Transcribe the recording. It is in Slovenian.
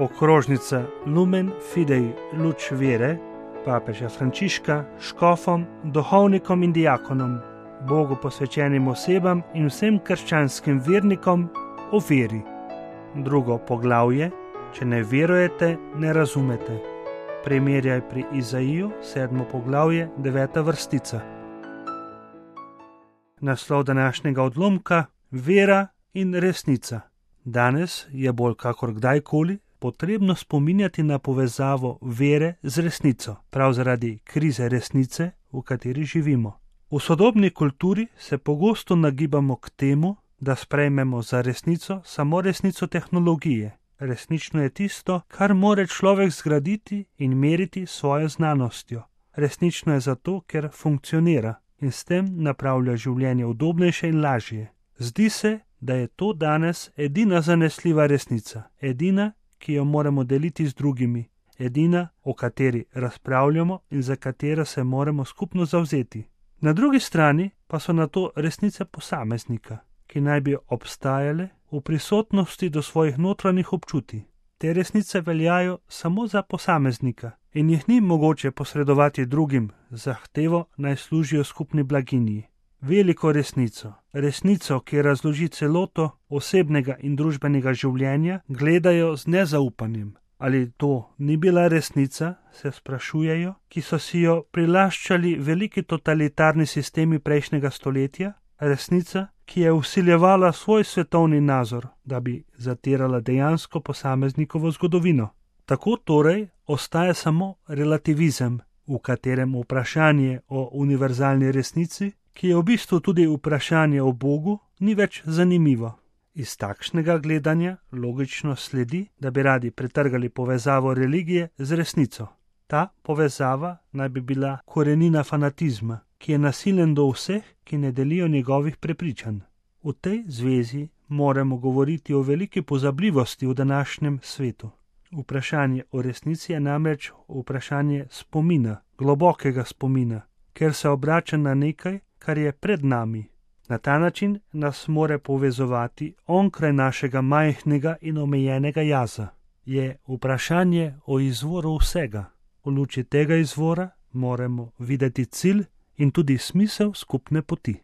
okrožnica Lumen Fidei luč vere papeža Frančiška škofom, duhovnikom in diakonom, Bogu posvečenim osebam in vsem krščanskim vernikom o veri. Drugo poglavje: če ne verujete, ne razumete. Primerjaj pri Izaiju, 7. poglavje, 9. vrstica. Naslov današnjega odlomka: vera in resnica. Danes je bolj kakor kdajkoli potrebno spominjati na povezavo vere z resnico, prav zaradi krize resnice, v kateri živimo. V sodobni kulturi se pogosto nagibamo k temu, da sprejmemo za resnico samo resnico tehnologije. Resnično je tisto, kar more človek zgraditi in meriti s svojo znanostjo. Resnično je zato, ker funkcionira in s tem napravlja življenje udobnejše in lažje. Zdi se, da je to danes edina zanesljiva resnica, edina, ki jo moramo deliti z drugimi, edina, o kateri razpravljamo in za katero se moramo skupno zavzeti. Na drugi strani pa so na to resnice posameznika, ki naj bi obstajale v prisotnosti do svojih notranjih občutij. Te resnice veljajo samo za posameznika in jih ni mogoče posredovati drugim z zahtevo, naj služijo skupni blaginji. Veliko resnico, resnico, ki razloži celoto osebnega in družbenega življenja, gledajo z nezaupanjem. Ali to ni bila resnica, se sprašujejo, ki so si jo prilaščali veliki totalitarni sistemi prejšnjega stoletja, resnica, ki je vsiljevala svoj svetovni nazor, da bi zatirala dejansko posameznikovo zgodovino. Tako torej ostaja samo relativizem, v katerem vprašanje o univerzalni resnici, ki je v bistvu tudi vprašanje o Bogu, ni več zanimivo. Iz takšnega gledanja logično sledi, da bi radi pretrgali povezavo religije z resnico. Ta povezava naj bi bila korenina fanatizma, ki je nasilen do vseh, ki ne delijo njegovih prepričanj. V tej zvezi moramo govoriti o veliki pozabljivosti v današnjem svetu. Vprašanje o resnici je namreč vprašanje spomina, globokega spomina, ker se obrača na nekaj, kar je pred nami. Na ta način nas more povezovati onkraj našega majhnega in omejenega jaza. Je vprašanje o izvoru vsega. V luči tega izvora moramo videti cilj in tudi smisel skupne poti.